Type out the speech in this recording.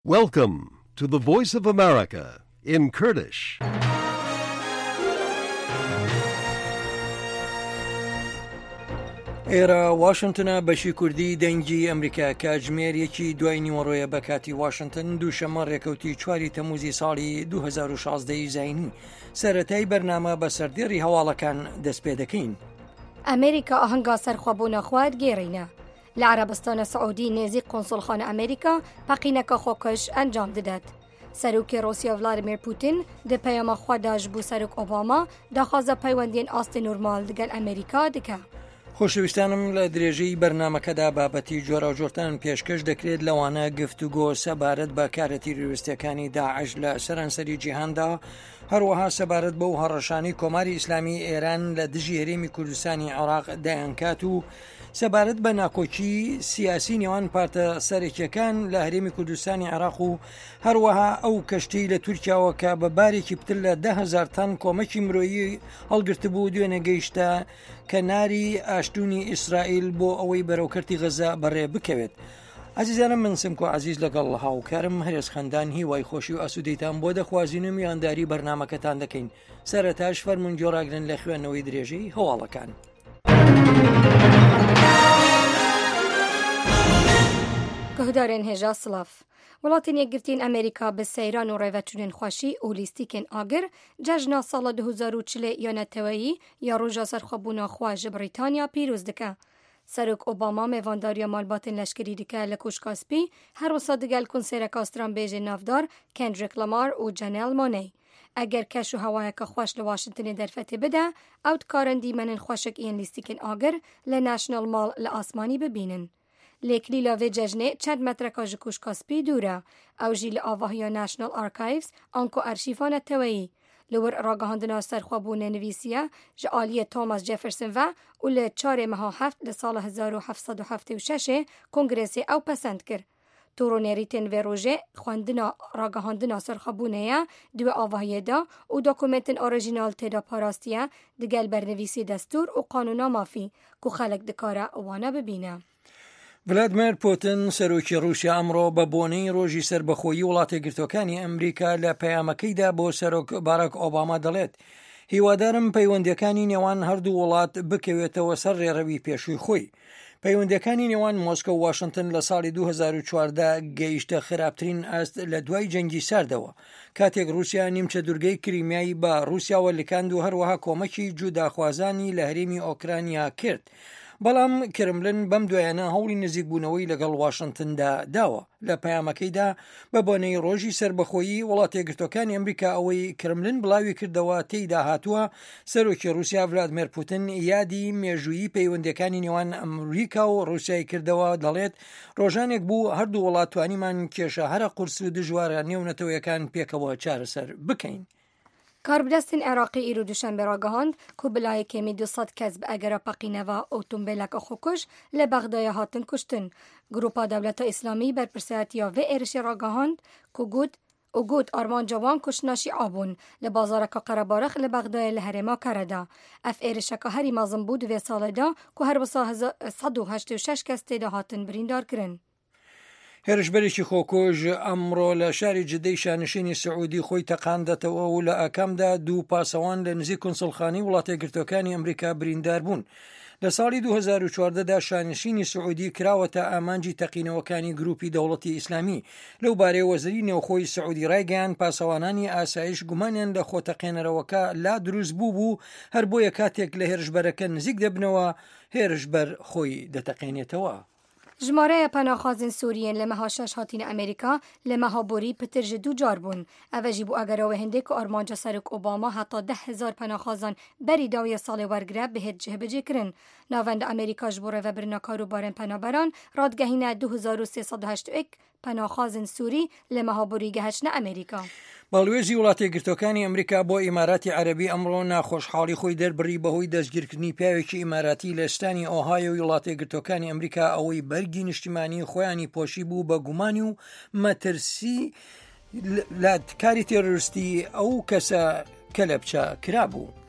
Welcome to the Voice of America in Kurdish. ئێرە واشنتنە بەشی کوردی دەنگی ئەمریکا کاتژمێر یەکی دوای نیوەڕۆیە بە کاتی واشنتن دووشەممە ڕێکەوتی چواری تەموزی ساڵی 2016 زینی سەرەتای بەرنامە بە سەردێڕی هەواڵەکان دەست پێ دەکەین. ئەمریکا ئاهەنگا سەرخوەبوونە خوەد گێڕینە. لە عەرەبستانە سعودی نێزیک قونسوڵخانە ئەمریکا پەقینەکە خۆکوژ ئەنجام ددەد. سەرۆکی ڕوسیا ڤلادیمیر پوتین di peyama xwe de ji bo Serok Obama daxwaza peywendiyên astê normal digel Amerîka dike. خۆشەویستانم لە درێژەی بەرنامەکەدا بابەتی جۆراوجۆرتان پێشکەش دەکرێت لەوانە گفتوگۆ سەبارەت بە کارە تیرۆریستیەکانی داعش لە سەرانسەری جیهاندا هەروەها سەبارەت بەو هەڕەشانەی کۆماری ئیسلامی ئێران لە دژی هەرێمی کوردستانی عێراق دەیانکات و سەبارەت بە ناکۆکی سیاسی نێوان پارتە سەرەکیەکان لە هەرێمی کوردستانی عێراق و هەروەها ئەو کەشتی لە تورکیاوە کە بە بارێکی پتر لە دههزار تەن کۆمەکی مرۆیی هەڵگرتبوو دوێنێ گەیشتە کەناری ئاشتونی ئیسرائیل بۆ ئەوەی بەرەو کەرتی غەزە بەڕێ بکەوێت. ئازیزانم من سمکۆ عزیز لەگەڵ هاوکارم هەرێز خەندان هیوای خۆشی و ئاسوودەیتان بۆ دەخوازین و میوانداری بەرنمەکەتان دەکەین سەرەتاش فەرمونون گۆڕاگرن لە خوێندنەوەی درێژەی هەواڵەکان. Guhdarên hêja silav. Welatên Yekgirtiyên Amerîka bi seyran û rêveçûnên xweşî û lîstîkên agir cejna sala 2040 ya neteweyî ya roja serxwebûna xwe ji Brîtanya pîroz dike. Serok Obama mêvandariya malbatên leşkerî dike li Koşka Spî, her wisa digel konsereka stranbêjên navdar Kendrick Lamar û Janelle Monáe. Eger keş û hewayeke xweş li Washingtonê derfetê bide, ew dikarin dîmenên xweşik yên lîstikên agir li National Mall li asmanî bibînin. Lê kilîla vê cejnê çend metreka ji Koşka Spî dûr e. Ew jî li avahiya National Archives anku Arşîva Neteweyî. Li wir ragihandina serxwebûnê nivîsiye ji aliyê Thomas Jefferson ve û li çarê meha heft li sala 1776 ê Kongresê ew pesend kir. Tor û nêrîtên vê rojê xwendina ragihandina serxwebûnê ye di wê avahiyê de û dokumentên orîjînal tê de parastiye digel bernivîsî destûr û qanûna mafî ku xelk dikare wana bibîne. ڤلادمێر پوتن سەرۆکی ڕووسیا ئەمڕۆ بە بۆنەی ڕۆژی سەربەخۆیی وڵاتەیەکگرتووەکانی ئەمریکا لە پەیامەکەیدا بۆ سەرۆک باراک ئۆباما دەڵێت هیوادارم پەیوەندیەکانی نێوان هەردوو وڵات بکەوێتەوە سەر ڕێڕەوی پێشووی خۆی. پەیوەندیەکانی نێوان مۆسکۆ و واشنتن لە ساڵی 2014 گەیشتە خراپترین ئاست لە دوای جەنگی ساردەوە کاتێک رووسیا نیمچە دوورگەی کریمیای بە رووسیاوە لکاند و هەروەها کۆمەکی جوداخوازانی لە هەرێمی ئۆکرانیا کرد. بەڵام کرملن بەم دوایانە هەوڵی نزیکبوونەوەی لەگەڵ واشنتندا داوە. لە پەیامەکەیدا بە بۆنەی ڕۆژی سەربەخۆیی وڵاتەیەکگرتووەکانی ئەمریکا ئەوەی کرملن بڵاوی کردەوە تێیدا هاتووە سەرۆکی ڕووسیا ڤلادمێر پوتن یادی مێژوویی پەیوەندیەکانی نێوان ئەمریکا و ڕووسیای کردەوە دەڵێت ڕۆژانێک بوو هەردوو وڵات توانیمان کێشە هەرە قورس و دژوارە نێونەتەوەیەکان پێکەوە چارەسەر بکەین. Karbidestên Iraqî îro Duşembê ragihand ku bi layê kêmî 200 kes bi egera peqîneva otombêleke xwekuj li Bexdayê hatin kuştin. Grûpa Dewleta Îslamî berpirsayetiya vê êrişê ragihand ku got û got armanca wan kuştina Şîa bûn li bazareke qerebarix li Bexdayê li herêma Kereda. Ev êrişeke herî mezin bû di vê salê de ku her wisa 186 kes tê de hatin birîndarkirin. هێرشبەرێکی خۆکوژ ئەمڕۆ لە شاری جدەی شانشینی سعودی خۆی تەقاندەتەوە و لە ئاکامدا دوو پاسەوان لە نزیک کونسڵخانەی وڵاتەیەکگرتووەکانی ئەمریکا بریندار بوون. لە ساڵی 2014 دا شانشینی سعودی کراوەتە ئامانجی تەقینەوەکانی گروپی دەوڵەتی ئیسلامی. لەو بارەیەوە وەزیری نێوخۆی سعودی ڕایگەیاند پاسەوانانی ئاسایش گومانیان لە خۆتەقێنەرەوەکە لا دروست بوو بوو هەر بۆیە کاتێک لە هێرشبەرەکە نزیک دەبنەوە هێرشبەر خۆی دەتەقێنێتەوە. ژمارەیە پەناخوازên Sûriyên li meha şeş hatîne Amerîka li meha borî pitir ji du car bûn. Ev jî bû egera wê hindê ku armanca Serok Obama heta 10,000 penaxwazan berî dawiya salê wergire bihêt cihbicîkirin. Navenda Amerîka ji bo rêvebirina karûbarên penaberan radigehîne 2381 پەناخوازن سووری لە مەها بۆری گەهەچنە ئەمریکا. باڵوێزی وڵاتەیەکگرتووەکانی ئەمریکا بۆ ئیماراتی عەرەبی ئەمڕۆ ناخۆشحاڵی خۆی دەربڕی بەهۆی دەستگیرکردنی پیاوێکی ئیماراتی لە ستانی ئۆهایۆی وڵاتەیەکگرتووەکانی ئەمریکا ئەوەی بەرگی نیشتیمانی خۆیانی پۆشی بوو بە گومانی و مەترسی لە کاری تێرۆریستی ئەو کەسە کەلەپچە کرابوو.